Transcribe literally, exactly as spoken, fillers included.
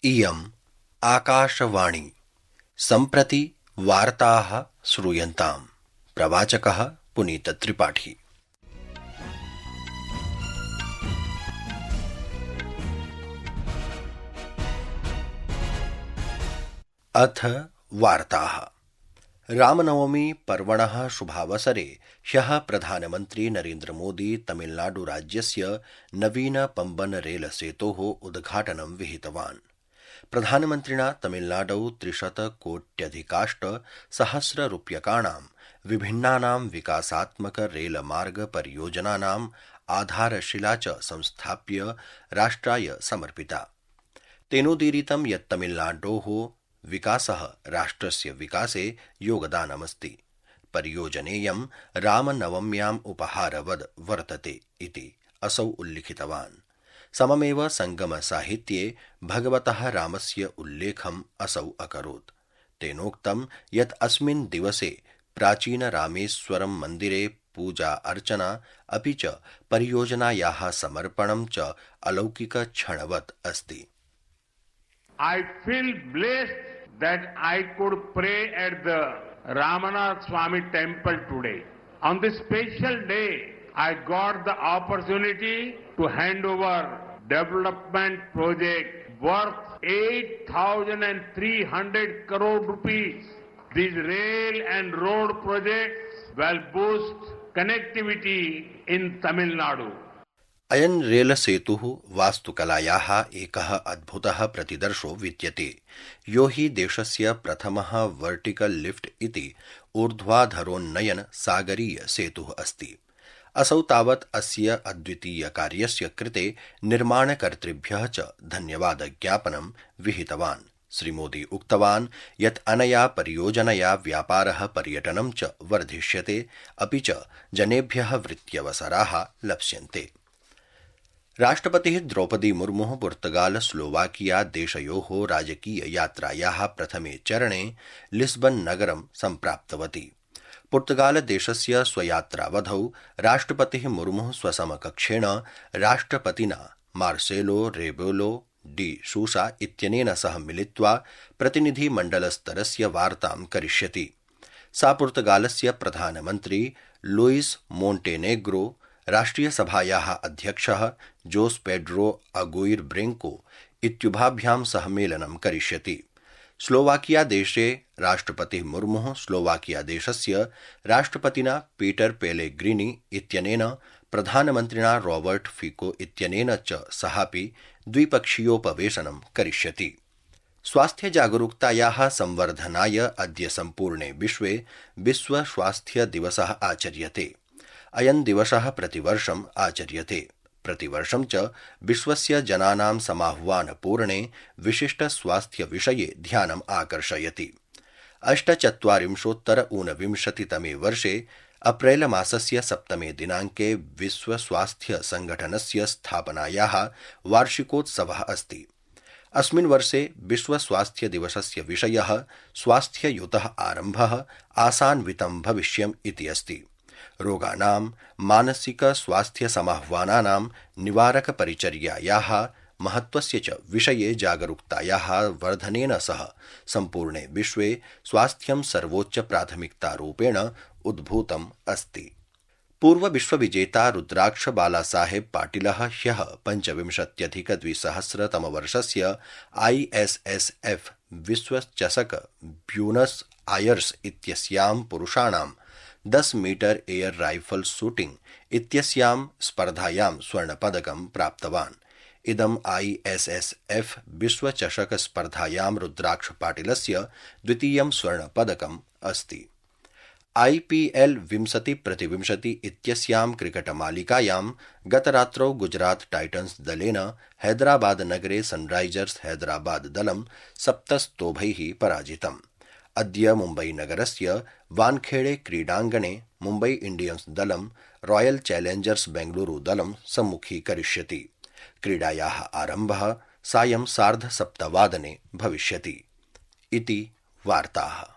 इयम् आकाशवाणी सम्प्रति वार्ताः श्रूयन्ताम्। प्रवाचकः पुनीतत्रिपाठी। अथ वार्ताः। रामनवमी पर्वणः शुभावसरे ह्यः प्रधानमन्त्री नरेन्द्र मोदी तमिलनाडुराज्यस्य नवीन पम्बन रेल सेतोः उद्घाटनं विहितवान्। प्रधानमन्त्रिणा तमिलनाडौ त्रिशतकोट्यधिकाष्ट सहस्ररूप्यकाणां विभिन्नानां विकासात्मक रेलमार्ग परियोजनानाम् आधारशिला च संस्थाप्य राष्ट्राय समर्पिता। तेनोदीरितं यत् तमिलनाडोः विकासः राष्ट्रस्य विकासे योगदानमस्ति। परियोजनेयं रामनवम्याम् उपहारवद् वर्तते इति असौ उल्लिखितवान्। सममेव संगमसाहित्ये भगवतः रामस्य उल्लेखम् असौ अकरोत्। तेनोक्तं यत् अस्मिन् दिवसे प्राचीनरामेश्वरं मन्दिरे पूजा अर्चना अपि च परियोजनायाः समर्पणं च अलौकिकक्षणवत् अस्ति। I feel blessed that I could pray at the Ramanath Swami temple today. On this special day, I got the opportunity to hand over development project worth eight thousand three hundred crore rupees. These rail and road projects will boost connectivity in Tamil Nadu. अयन् रेलसेतुः वास्तुकलायाः एकः अद्भुतः प्रतिदर्शो विद्यते, यो हि देशस्य प्रथमः vertical lift इति ऊर्ध्वाधरोन्नयन सागरीय सेतुः अस्ति। असौ तावत् अस्य अद्वितीयकार्यस्य कृते निर्माणकर्तृभ्यः च धन्यवादज्ञापनं विहितवान्। श्रीमोदी उक्तवान् यत् अनया परियोजनया व्यापारः पर्यटनं च वर्धिष्यते, अपि च जनेभ्यः वृत्त्यवसराः लप्स्यन्ते। राष्ट्रपतिः द्रौपदी मुर्मुः पुर्तगाल स्लोवाकिया देशयोः राजकीय यात्रायाः प्रथमे चरणे लिस्बन नगरं सम्प्राप्तवती। पुर्तगाल देशस्य स्वयात्रावधौ राष्ट्रपतिः मुर्मुः स्वसमकक्षेण राष्ट्रपतिना मार्सेलो रेबेलो डी सूसा इत्यनेन सह मिलित्वा प्रतिनिधिमण्डलस्तरस्य वार्तां करिष्यति। सा पुर्तगालस्य प्रधानमन्त्री लुइस मोंटेनेग्रो, राष्ट्रियसभायाः अध्यक्षः जोस पेड्रो अगुइर ब्रेंको इत्युभाभ्यां सह मेलनं करिष्यति। स्लोवाकिया देशे राष्ट्रपतिः मुर्मुः स्लोवाकिया देशस्य राष्ट्रपतिना पीटर पेलेग्रिनी इत्यनेन प्रधानमन्त्रिणा रॉबर्ट फिको इत्यनेन च सहापि द्विपक्षीयोपवेशनं करिष्यति। स्वास्थ्यजागरूकतायाः संवर्धनाय अद्य सम्पूर्णे विश्वे विश्व स्वास्थ्य दिवसः आचर्यते। अयं दिवसः प्रतिवर्षम् आचर्यते। प्रतिवर्षं च विश्वस्य जनानां समाह्वानपूर्णे विशिष्टस्वास्थ्यविषये ध्यानम् आकर्षयति। अष्टचत्वारिंशोत्तर ऊनविंशतितमे वर्षे अप्रैल मासस्य सप्तमे दिनाङ्के विश्वस्वास्थ्यसङ्घटनस्य स्थापनायाः वार्षिकोत्सवः अस्ति। अस्मिन् वर्षे विश्वस्वास्थ्यदिवसस्य विषयः स्वास्थ्ययुतः आरम्भः आसान्वितं भविष्यम् इति अस्ति। रोगाणां मानसिकस्वास्थ्यसमाह्वानानां निवारकपरिचर्यायाः महत्त्वस्य च विषये जागरूकतायाः वर्धनेन सह सम्पूर्णे विश्वे स्वास्थ्यं सर्वोच्चप्राथमिकतारूपेण उद्भूतम् अस्ति। पूर्वविश्वविजेता रुद्राक्ष बालासाहेब पाटिलः ह्यः पञ्चविंशत्यधिकद्विसहस्रतमवर्षस्य आई एस एस एफ विश्वचषक ब्यूनस् आयर्स इत्यस्यां पुरुषाणां दस मीटर एयर राइफल शूटिंग इत्यस्यां स्पर्धायां स्वर्णपदकं प्राप्तवान्। इदम् आई एस एस एफ विश्वचषक स्पर्धायां रुद्राक्ष पाटिलस्य द्वितीयं स्वर्णपदकम् अस्ति। आई पी एल विंशति प्रतिविंशति इत्यस्यां क्रिकेटमालिकायां गतरात्रौ गुजरात टाइटन्स दलेन हैदराबाद नगरे सनराइजर्स हैदराबाद दलं सप्तस्तोभैः पराजितम्। अद्य मुम्बई नगरस्य वानखेड़े क्रीडाङ्गणे मुम्बई इंडियन्स दलं रॉयल चैलेंजर्स बेंगलुरु दलं सम्मुखीकरिष्यति। क्रीडायाः आरम्भः सायं सार्धसप्तवादने भविष्यति। इति वार्ताः।